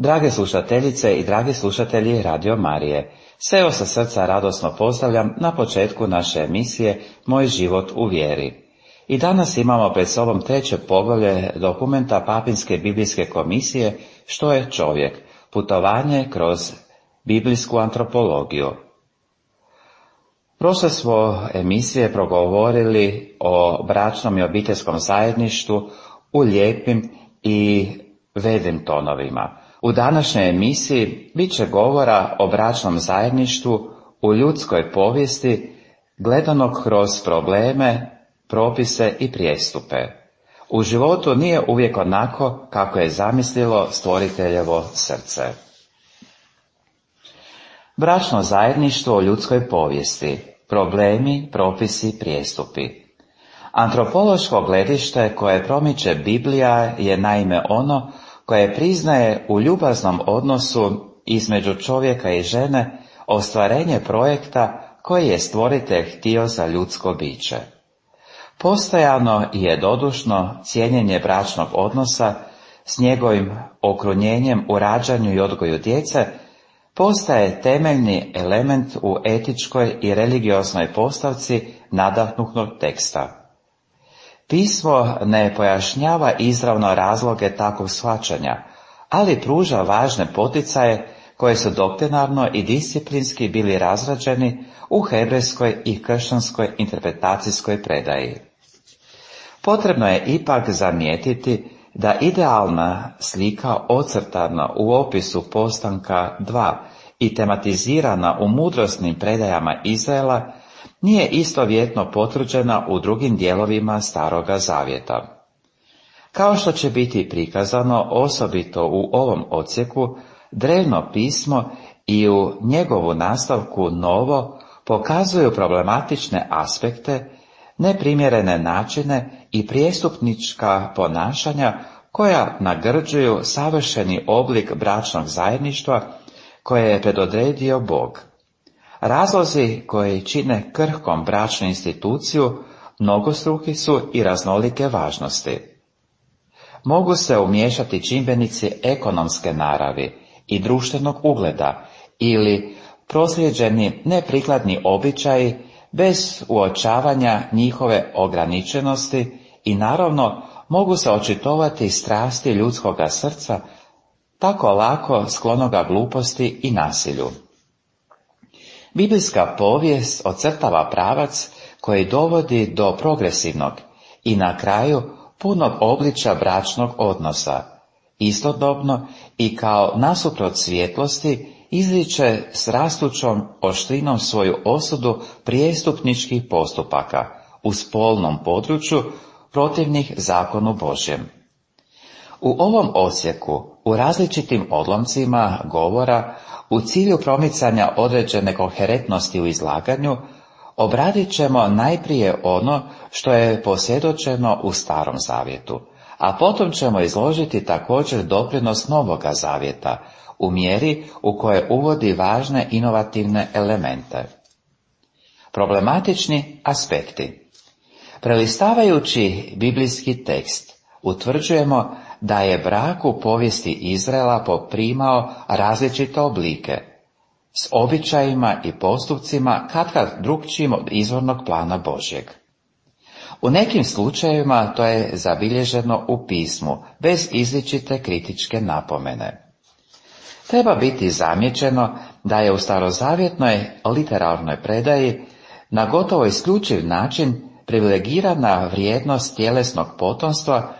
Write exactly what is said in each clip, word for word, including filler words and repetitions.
Drage slušateljice i dragi slušatelji Radio Marije, sve vas sa srca radosno pozdravljam na početku naše emisije Moj život u vjeri. I danas imamo pred sobom treće poglavlje dokumenta Papinske biblijske komisije Što je čovjek? Putovanje kroz biblijsku antropologiju. Prošle smo emisije progovorili o bračnom i obiteljskom zajedništvu u lijepim i vedrim tonovima. U današnjoj emisiji bit će govora o bračnom zajedništvu u ljudskoj povijesti gledano kroz probleme, propise i prijestupe. U životu nije uvijek onako kako je zamislilo stvoriteljevo srce. Bračno zajedništvo u ljudskoj povijesti, problemi, propisi, prijestupi. Antropološko gledište koje promiče Biblija je naime ono koje priznaje u ljubaznom odnosu između čovjeka i žene ostvarenje projekta koji je stvoritelj htio za ljudsko biće. Postojano i jednodušno cijenjenje bračnog odnosa s njegovim okrunjenjem u rađanju i odgoju djece postaje temeljni element u etičkoj i religioznoj postavci nadahnutog teksta. Pismo ne pojašnjava izravno razloge takvog shvaćanja, ali pruža važne poticaje koje su doktrinarno i disciplinski bili razrađeni u hebrejskoj i kršćanskoj interpretacijskoj predaji. Potrebno je ipak zamijetiti da idealna slika ocrtana u opisu postanka dva i tematizirana u mudrosnim predajama Izraela nije istovjetno potvrđena u drugim dijelovima Staroga Zavjeta. Kao što će biti prikazano osobito u ovom odsjeku, drevno pismo i u njegovu nastavku Novo pokazuju problematične aspekte, neprimjerene načine i prijestupnička ponašanja koja nagrđuju savršeni oblik bračnog zajedništva koje je predodredio Bog. Razlozi koji čine krhkom bračnu instituciju mnogostruki su i raznolike važnosti. Mogu se umiješati čimbenici ekonomske naravi i društvenog ugleda ili proslijeđeni neprikladni običaji bez uočavanja njihove ograničenosti i naravno mogu se očitovati strasti ljudskoga srca tako lako sklonoga gluposti i nasilju. Biblijska povijest ocrtava pravac koji dovodi do progresivnog i na kraju punog obličja bračnog odnosa. Istodobno i kao nasuprot svjetlosti izriče s rastućom oštrinom svoju osudu prijestupničkih postupaka u spolnom području protivnih zakonu Božjem. U ovom odsjeku, u različitim odlomcima govora, u cilju promicanja određene koherentnosti u izlaganju, obradit ćemo najprije ono što je posvjedočeno u Starom Zavjetu, a potom ćemo izložiti također doprinos Novoga Zavjeta, u mjeri u kojoj uvodi važne inovativne elemente. Problematični aspekti. Prelistavajući biblijski tekst, utvrđujemo da je brak u povijesti Izraela poprimao različite oblike, s običajima i postupcima katkad drukčijim od izvornog plana Božjeg. U nekim slučajevima to je zabilježeno u pismu, bez izričite kritičke napomene. Treba biti zamijećeno da je u starozavjetnoj literarnoj predaji na gotovo isključiv način privilegirana vrijednost tjelesnog potomstva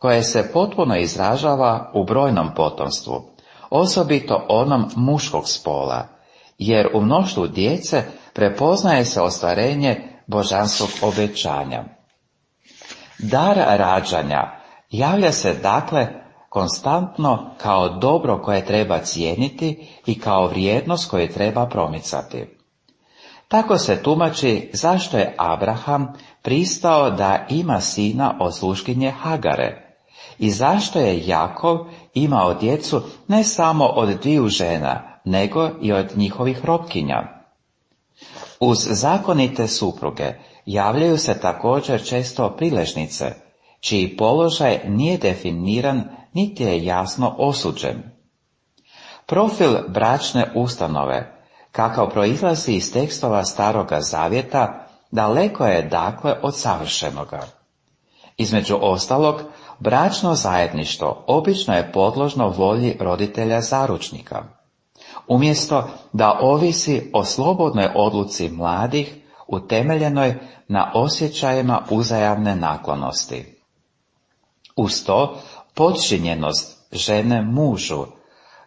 koje se potpuno izražava u brojnom potomstvu, osobito onom muškog spola, jer u mnoštvu djece prepoznaje se ostvarenje božanskog obećanja. Dar rađanja javlja se dakle konstantno kao dobro koje treba cijeniti i kao vrijednost koju treba promicati. Tako se tumači zašto je Abraham pristao da ima sina od sluškinje Hagare i zašto je Jakov imao djecu ne samo od dviju žena, nego i od njihovih robkinja. Uz zakonite supruge javljaju se također često priležnice, čiji položaj nije definiran niti je jasno osuđen. Profil bračne ustanove, kakav proizlazi iz tekstova Staroga Zavjeta, daleko je dakle od savršenoga. Između ostalog, bračno zajedništvo obično je podložno volji roditelja zaručnika. Umjesto da ovisi o slobodnoj odluci mladih, utemeljenoj na osjećajima uzajamne naklonosti. Uz to, podčinjenost žene mužu,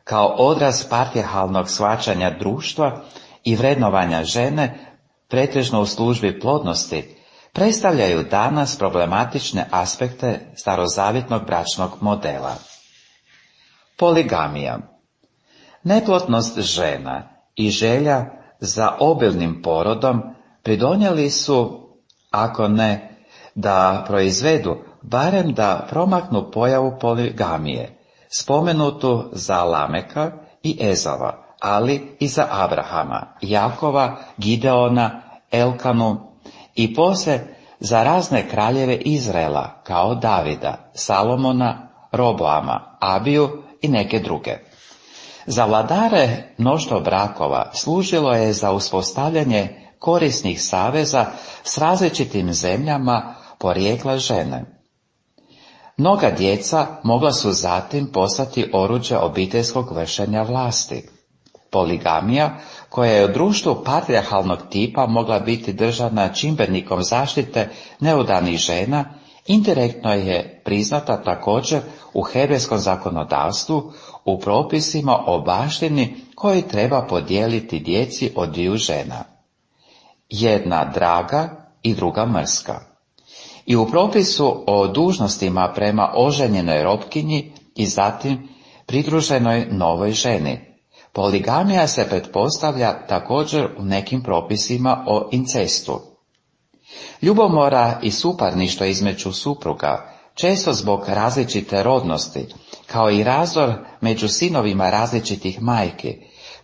kao odraz patrijarhalnog shvaćanja društva i vrednovanja žene, pretežno u službi plodnosti, predstavljaju danas problematične aspekte starozavjetnog bračnog modela. Poligamija. Neplodnost žena i želja za obilnim porodom pridonijeli su, ako ne da proizvedu, barem da promaknu pojavu poligamije, spomenutu za Lameka i Ezava, ali i za Abrahama, Jakova, Gideona, Elkanu i poslije za razne kraljeve Izraela, kao Davida, Salomona, Roboama, Abiju i neke druge. Za vladare mnoštvo brakova služilo je za uspostavljanje korisnih saveza s različitim zemljama porijekla žene. Mnoga djeca mogla su zatim postati oruđe obiteljskog vršenja vlasti. Poligamija, koja je u društvu patrijarhalnog tipa mogla biti držana čimbenikom zaštite neudanih žena, indirektno je priznata također u hebrejskom zakonodavstvu u propisima o baštini koji treba podijeliti djeci od dviju žena. Jedna draga i druga mrska. I u propisu o dužnostima prema oženjenoj robkinji i zatim pridruženoj novoj ženi. Poligamija se pretpostavlja također u nekim propisima o incestu. Ljubomora i suparništvo između supruga, često zbog različite rodnosti, kao i razdor među sinovima različitih majki,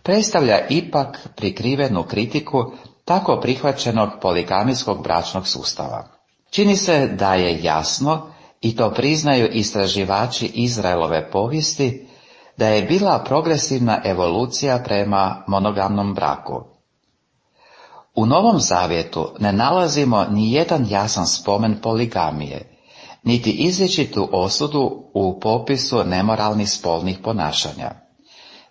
predstavlja ipak prikrivenu kritiku tako prihvaćenog poligamijskog bračnog sustava. Čini se da je jasno, i to priznaju istraživači Izraelove povijesti, da je bila progresivna evolucija prema monogamnom braku. U Novom Zavjetu ne nalazimo ni jedan jasan spomen poligamije, niti izričitu osudu u popisu nemoralnih spolnih ponašanja.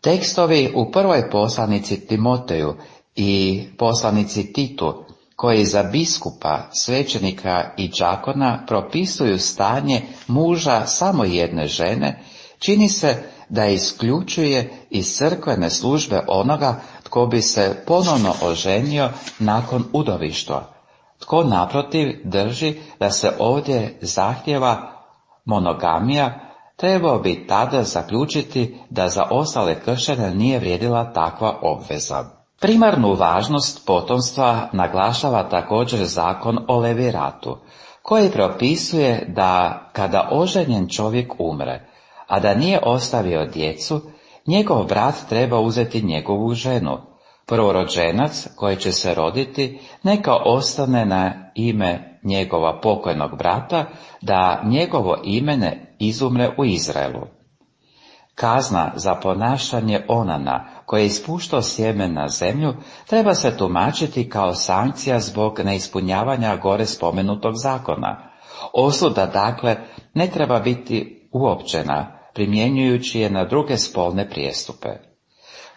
Tekstovi u prvoj poslanici Timoteju i poslanici Titu, koji za biskupa, svećenika i đakona propisuju stanje muža samo jedne žene, čini se da isključuje iz crkvene službe onoga tko bi se ponovno oženio nakon udovištva, tko naprotiv drži da se ovdje zahtjeva monogamija, trebao bi tada zaključiti da za ostale kršćane nije vrijedila takva obveza. Primarnu važnost potomstva naglašava također zakon o leviratu, koji propisuje da kada oženjen čovjek umre, a da nije ostavio djecu, njegov brat treba uzeti njegovu ženu. Prvorođenac koji će se roditi neka ostane na ime njegova pokojnog brata, da njegovo ime ne izumre u Izraelu. Kazna za ponašanje onana koji je ispuštao sjeme na zemlju treba se tumačiti kao sankcija zbog neispunjavanja gore spomenutog zakona. Osuda dakle ne treba biti uopćena, primjenjujući je na druge spolne prijestupe.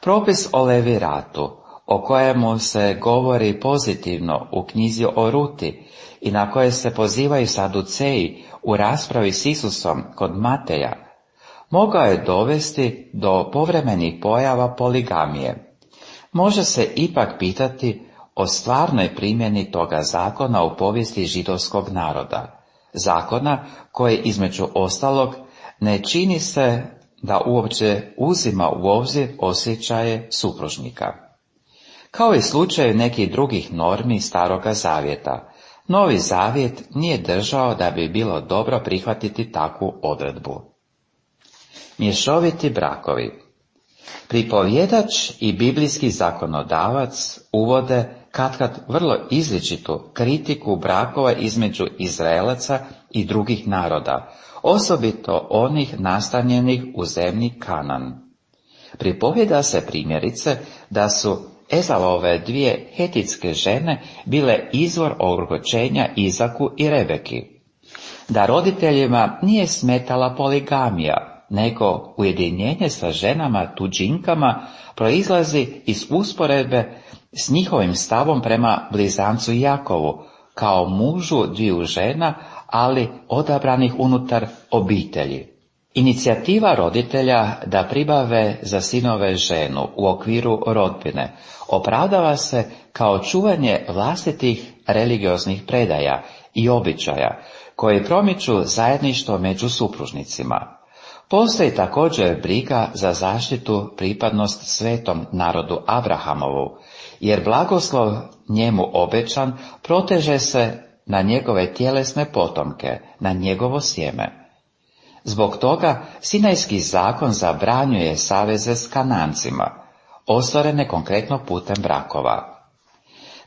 Propis o leviratu, o kojemu se govori pozitivno u knjizi o Ruti i na koje se pozivaju Saduceji u raspravi s Isusom kod Mateja, mogao je dovesti do povremenih pojava poligamije. Može se ipak pitati o stvarnoj primjeni toga zakona u povijesti židovskog naroda, zakona koji između ostalog ne čini se da uopće uzima u obzir osjećaje supružnika. Kao i slučaju nekih drugih normi Staroga Zavjeta, Novi Zavjet nije držao da bi bilo dobro prihvatiti takvu odredbu. Mješoviti brakovi. Pripovjedač i biblijski zakonodavac uvode katkad vrlo izričitu kritiku brakova između Izraelaca i drugih naroda, osobito onih nastanjenih u zemlji Kanan. Pripovjeda se primjerice da su Ezavove dvije hetitske žene bile izvor ogorčenja Izaku i Rebeki, da roditeljima nije smetala poligamija, nego ujedinjenje sa ženama tuđinkama proizlazi iz usporedbe s njihovim stavom prema blizancu Jakovu, kao mužu dviju žena, ali odabranih unutar obitelji. Inicijativa roditelja da pribave za sinove ženu u okviru rodbine opravdava se kao čuvanje vlastitih religioznih predaja i običaja koji promiču zajedništvo među supružnicima. Postoji također briga za zaštitu pripadnost svetom narodu Abrahamovu, jer blagoslov njemu obećan proteže se na njegove tjelesne potomke, na njegovo sjeme. Zbog toga Sinajski zakon zabranjuje saveze s Kanancima, ostvarene konkretno putem brakova.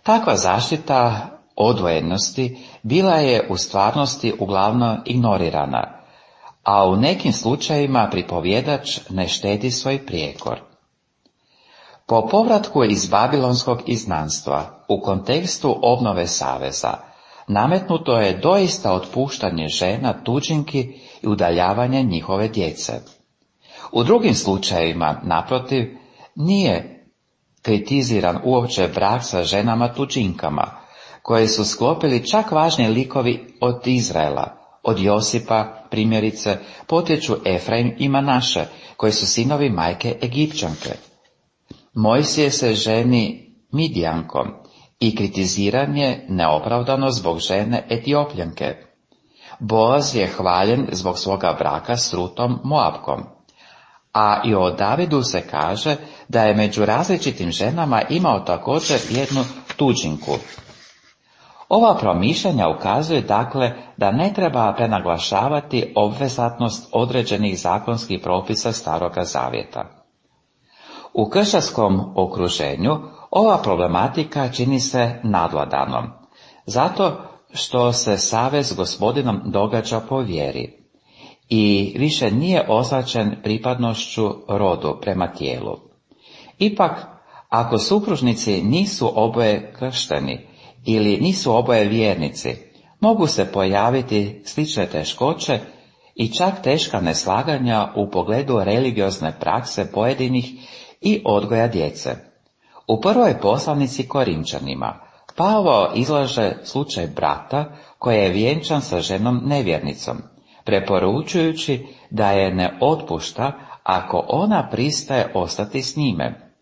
Takva zaštita odvojenosti bila je u stvarnosti uglavnom ignorirana, a u nekim slučajevima pripovjedač ne štedi svoj prijekor. Po povratku iz babilonskog izgnanstva, u kontekstu obnove saveza, nametnuto je doista otpuštanje žena tuđinki i udaljavanje njihove djece. U drugim slučajevima, naprotiv, nije kritiziran uopće brak sa ženama tuđinkama, koje su sklopili čak važni likovi od Izraela. Od Josipa, primjerice, potječu Efraim i Manaše, koji su sinovi majke Egipćanke. Mojsije se ženi Midjankom i kritiziran je neopravdano zbog žene Etiopljanke. Boaz je hvaljen zbog svoga braka s Rutom Moabkom. A i o Davidu se kaže da je među različitim ženama imao također jednu tuđinku. Ova promišljanja ukazuje dakle da ne treba prenaglašavati obvezatnost određenih zakonskih propisa Staroga Zavjeta. U kršćanskom okruženju ova problematika čini se nadvladanom, zato što se savez s Gospodinom događa po vjeri i više nije označen pripadnošću rodu prema tijelu. Ipak, ako supružnici nisu oboje kršteni ili nisu oboje vjernici, mogu se pojaviti slične teškoće i čak teška neslaganja u pogledu religiozne prakse pojedinih i odgoja djece. U prvoj poslanici Korinčanima Pavao izlaže slučaj brata koji je vjenčan sa ženom nevjernicom, preporučujući da je ne otpušta ako ona pristaje ostati s njime.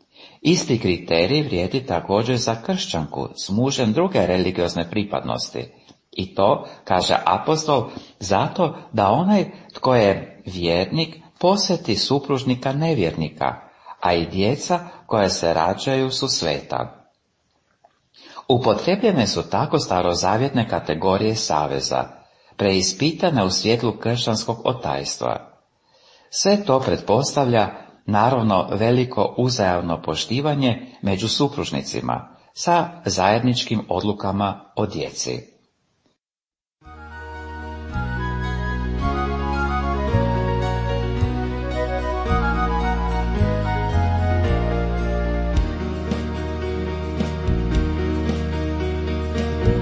Isti kriterij vrijedi također za kršćanku s mužem druge religiozne pripadnosti. I to, kaže apostol, zato da onaj tko je vjernik posjeti supružnika nevjernika, a i djeca koja se rađaju su sveta. Upotrebljene su tako starozavjetne kategorije saveza, preispitane u svjetlu kršćanskog otajstva. Sve to pretpostavlja naravno veliko uzajamno poštivanje među supružnicima sa zajedničkim odlukama o djeci.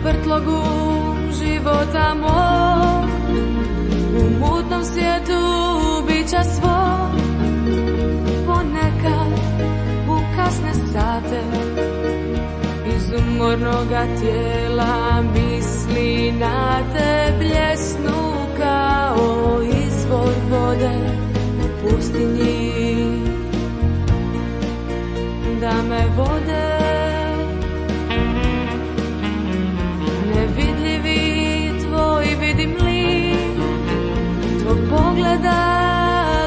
Vrtlogu života mog, u mutnom svijetu bića svog, ponekad u kasne sate iz umornoga tijela misli na te bljesnu kao izvor vode u pustinji, da me vode. Vidim li tvog pogleda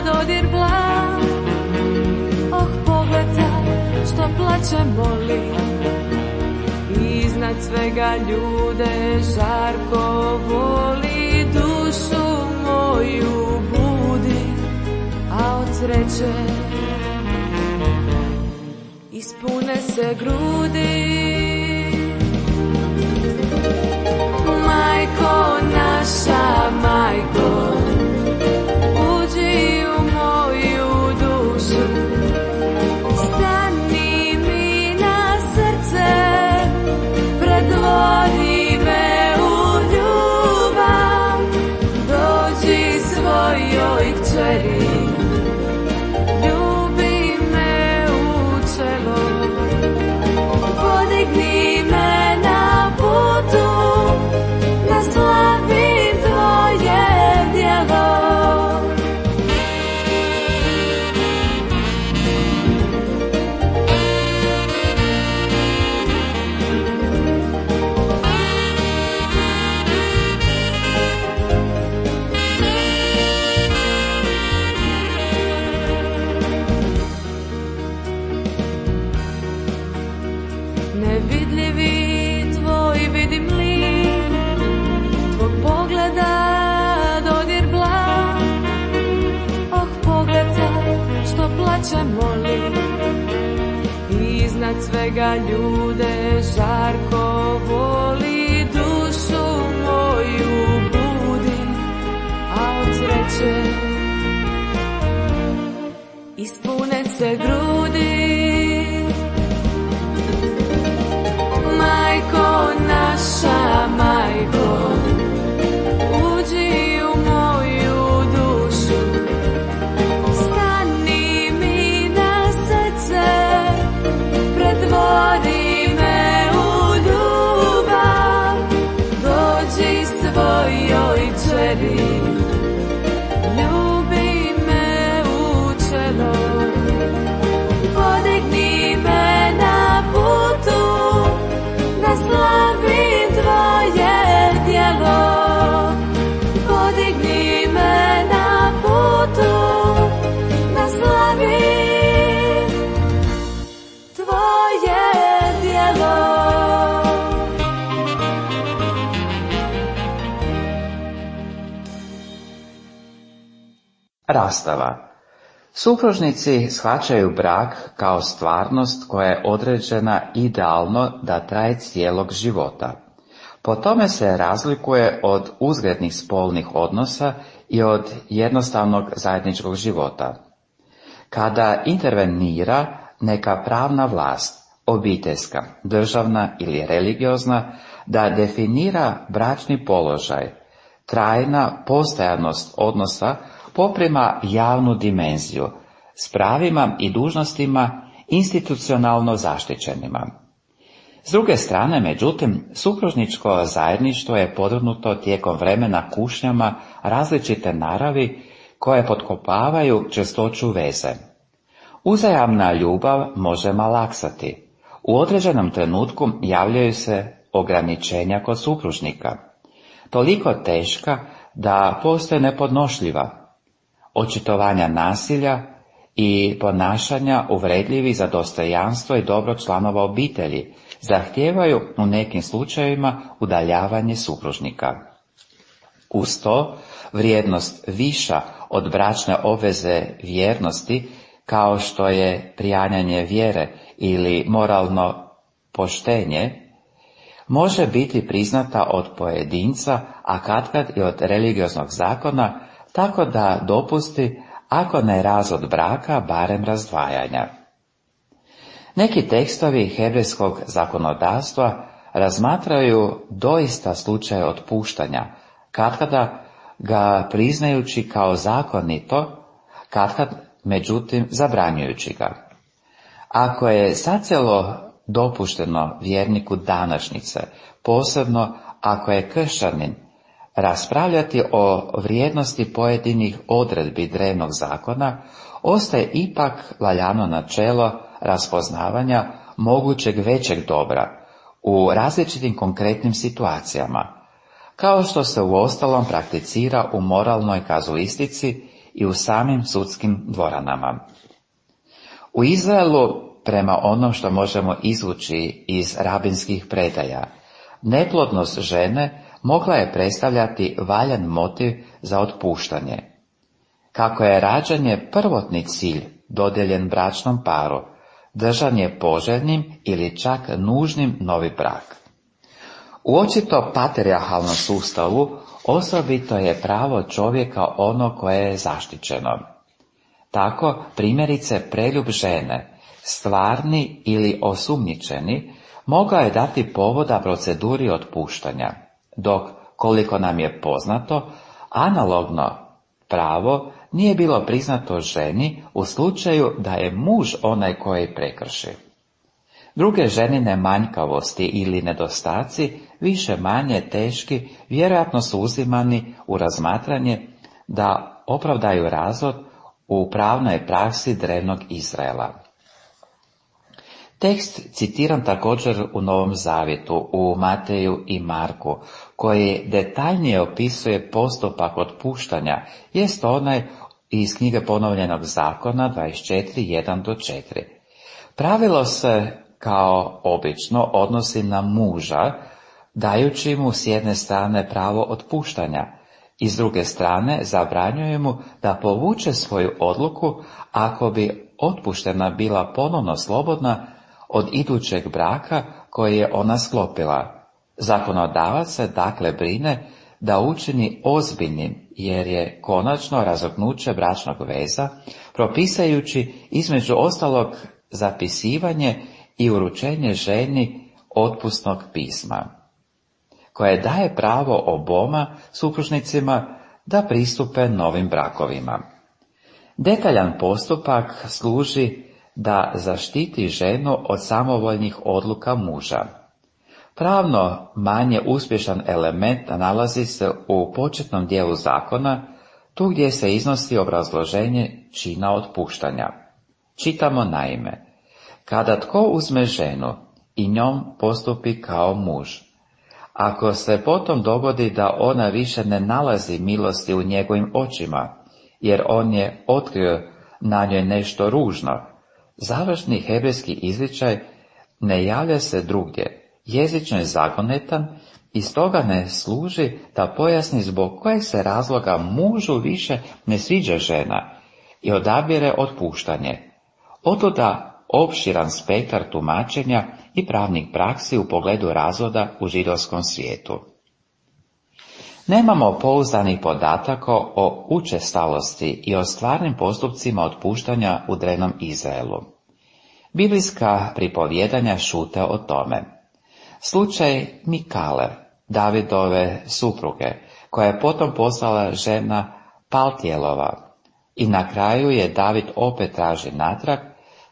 dodir blag, oh pogledaj što plaće moli, iznad svega ljude žarko voli, dušu moju budi, a od sreće ispune se grudi. Majko naša, majko, uđi u moju dušu, ćemo li iznad svega ljude žarko voli, dušu moju budi, a od sreće ispune se grudi. Majko naša, majko, uđi u moju dušu, stani mi na srce, pretvori me u ljubav, dođi svojoj čeri, ljubi me u čelo, podigni me na putu, da slavim tvoje djelo, podigni me na putu, da slavim tvoje djelo. Rastava. Supružnici shvaćaju brak kao stvarnost koja je određena idealno da traje cijelog života. Po tome se razlikuje od uzgrednih spolnih odnosa i od jednostavnog zajedničkog života. Kada intervenira neka pravna vlast, obiteljska, državna ili religiozna, da definira bračni položaj, trajna postojanost odnosa poprima javnu dimenziju s pravima i dužnostima institucionalno zaštićenima. S druge strane, međutim, supružničko zajedništvo je podvrgnuto tijekom vremena kušnjama različite naravi koje potkopavaju čvrstoću veze. Uzajamna ljubav može malaksati. U određenom trenutku javljaju se ograničenja kod supružnika, toliko teška da postaje nepodnošljiva. Očitovanja nasilja i ponašanja uvredljivi za dostojanstvo i dobro članova obitelji zahtijevaju u nekim slučajevima udaljavanje supružnika. Uz to, vrijednost viša od bračne obveze vjernosti, kao što je prijanjanje vjere ili moralno poštenje, može biti priznata od pojedinca, a katkad i od religioznog zakona, tako da dopusti, ako ne razvod braka, barem razdvajanja. Neki tekstovi hebrejskog zakonodavstva razmatraju doista slučaj otpuštanja, katkada ga priznajući kao zakonito, katkad međutim zabranjujući ga. Ako je zacijelo dopušteno vjerniku današnjice, posebno ako je kršćanin, raspravljati o vrijednosti pojedinih odredbi drevnog zakona, ostaje ipak valjano načelo raspoznavanja mogućeg većeg dobra u različitim konkretnim situacijama, kao što se uostalom prakticira u moralnoj kazuistici i u samim sudskim dvoranama. U Izraelu, prema onom što možemo izvući iz rabinskih predaja, neplodnost žene mogla je predstavljati valjan motiv za otpuštanje. Kako je rađanje prvotni cilj dodijeljen bračnom paru, držan je poželjnim ili čak nužnim novi brak. U očito patrijarhalnom sustavu osobito je pravo čovjeka ono koje je zaštićeno. Tako, primjerice, preljub žene, stvarni ili osumnjičeni, mogao je dati povoda proceduri otpuštanja, dok, koliko nam je poznato, analogno pravo nije bilo priznato ženi u slučaju da je muž onaj koji prekrši. Druge ženine manjkavosti ili nedostaci, više manje teški, vjerojatno su uzimani u razmatranje da opravdaju razvod u pravnoj praksi drevnog Izraela. Tekst citiram također u Novom Zavjetu, u Mateju i Marku, koji detaljnije opisuje postupak otpuštanja, jest onaj iz knjige Ponovljenog zakona dvadeset četiri, jedan do četiri. Pravilo se, kao obično, odnosi na muža, dajući mu s jedne strane pravo otpuštanja i s druge strane zabranjuje mu da povuče svoju odluku ako bi otpuštena bila ponovno slobodna od idućeg braka koji je ona sklopila. Zakonodavac se dakle brine da učini ozbiljnim, jer je konačno razoknuće bračnog veza, propisajući između ostalog zapisivanje i uručenje ženi otpusnog pisma, koje daje pravo oboma supružnicima da pristupe novim brakovima. Detaljan postupak služi da zaštiti ženu od samovoljnih odluka muža. Pravno manje uspješan element nalazi se u početnom dijelu zakona, tu gdje se iznosi obrazloženje čina otpuštanja. Čitamo naime: kada tko uzme ženu i njom postupi kao muž, ako se potom dogodi da ona više ne nalazi milosti u njegovim očima, jer on je otkrio na njoj nešto ružno, završni hebrejski izričaj ne javlja se drugdje, jezično je zagonetan i stoga ne služi da pojasni zbog kojeg se razloga mužu više ne sviđa žena i odabire otpuštanje. Otuda opširan spektar tumačenja i pravnih praksi u pogledu razvoda u židovskom svijetu. Nemamo pouzdanih podataka o učestalosti i o stvarnim postupcima otpuštanja u drevnom Izraelu. Biblijska pripovjedanja šute o tome. Slučaj Mikale, Davidove supruge, koja je potom postala žena Paltijelova i na kraju je David opet traži natrag,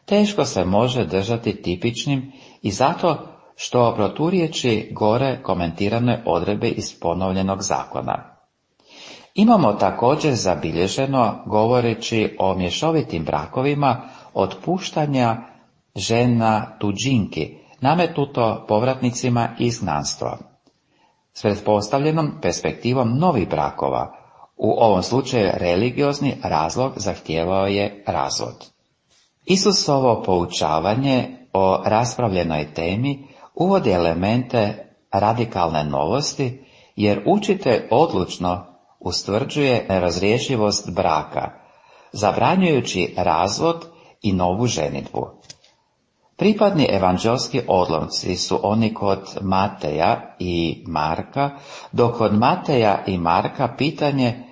teško se može držati tipičnim i zato što proturječi gore komentirane odredbe iz ponovljenog zakona. Imamo također zabilježeno, govoreći o mješovitim brakovima, otpuštanja žena tuđinki, nametnuto povratnicima iz izgnanstva, s pretpostavljenom perspektivom novih brakova. U ovom slučaju religiozni razlog zahtijevao je razvod. Isusovo poučavanje o raspravljenoj temi uvodi elemente radikalne novosti, jer učitelj odlučno ustvrđuje nerazrješivost braka, zabranjujući razvod i novu ženidbu. Pripadni evanđelski odlomci su oni kod Mateja i Marka, dok kod Mateja i Marka pitanje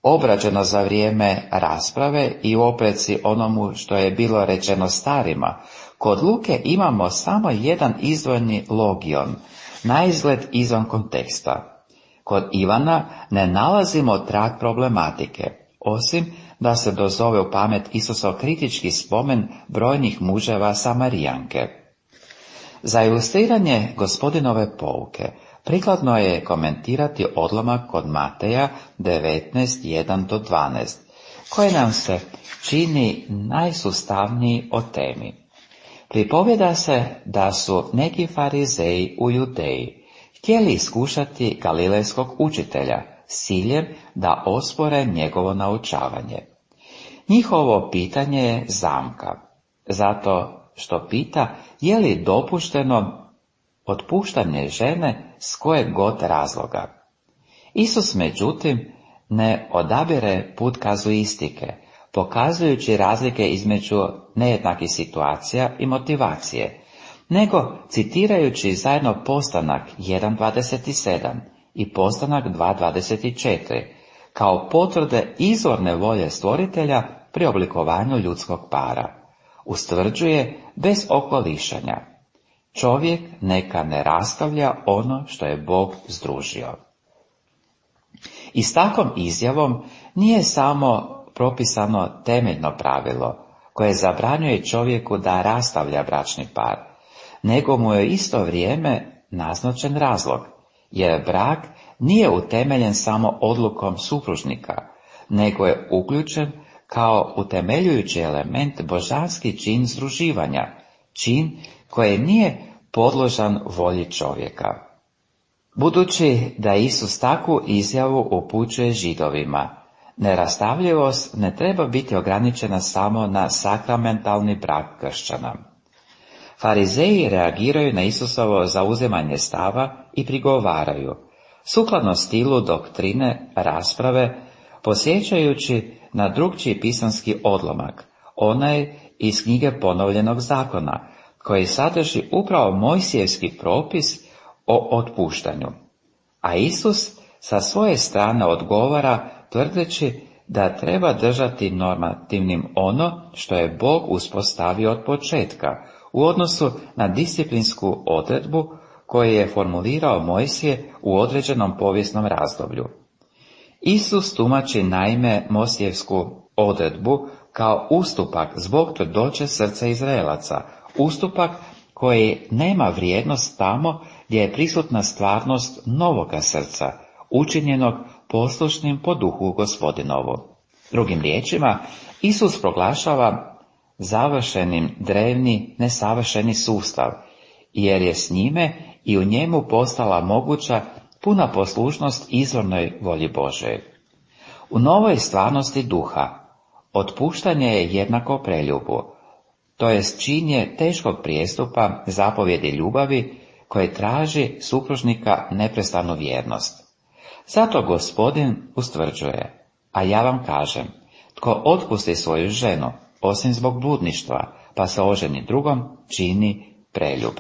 obrađeno za vrijeme rasprave i u opreci onomu što je bilo rečeno starima. Kod Luke imamo samo jedan izdvojeni logion, naizgled izvan konteksta. Kod Ivana ne nalazimo trag problematike, osim da se dozove u pamet Isusov kritički spomen brojnih muževa Samarijanke. Za ilustriranje Gospodinove pouke prikladno je komentirati odlomak kod Mateja devetnaest jedan do dvanaest, koji nam se čini najsustavniji o temi. Pripovjeda se da su neki farizeji u Judeji htjeli iskušati galilejskog učitelja s ciljem da ospore njegovo naučavanje. Njihovo pitanje je zamka, zato što pita je li dopušteno otpuštanje žene s kojeg god razloga. Isus međutim ne odabire put kazuistike, pokazujući razlike između nejednakih situacija i motivacije, nego citirajući zajedno Postanak jedan dvadeset sedam i Postanak dva dvadeset četiri, kao potvrde izvorne volje stvoritelja pri oblikovanju ljudskog para. Ustvrđuje bez okolišanja: čovjek neka ne rastavlja ono što je Bog združio. I s takvom izjavom nije samo propisano temeljno pravilo koje zabranjuje čovjeku da rastavlja bračni par, nego mu je isto vrijeme naznačen razlog, jer brak nije utemeljen samo odlukom supružnika, nego je uključen kao utemeljujući element božanski čin združivanja, čin koji nije podložan volji čovjeka. Budući da Isus takvu izjavu upućuje Židovima, nerastavljivost ne treba biti ograničena samo na sakramentalni brak kršćana. Farizeji reagiraju na Isusovo zauzimanje stava i prigovaraju, sukladno stilu doktrine rasprave, posjećajući na drugčiji pisanski odlomak, onaj iz knjige Ponovljenog zakona, koji sadrži upravo Mojsijevski propis o otpuštanju. A Isus sa svoje strane odgovara tvrdeći da treba držati normativnim ono što je Bog uspostavio od početka u odnosu na disciplinsku odredbu koju je formulirao Mojsije u određenom povijesnom razdoblju. Isus tumači naime Mojsijevsku odredbu kao ustupak zbog tvrdoće srca Izraelaca, ustupak koji nema vrijednost tamo gdje je prisutna stvarnost novoga srca, učinjenog poslušnim po duhu Gospodinovu. Drugim riječima, Isus proglašava završenim drevni, nesavršeni sustav, jer je s njime i u njemu postala moguća puna poslušnost izvornoj volji Božoj. U novoj stvarnosti duha, otpuštanje je jednako preljubu, to jest činjenje teškog prijestupa zapovjedi ljubavi koje traži supružnika neprestanu vjernost. Zato Gospodin ustvrđuje, a ja vam kažem, tko otpusti svoju ženu, osim zbog bludništva, pa se oženi drugom, čini preljub.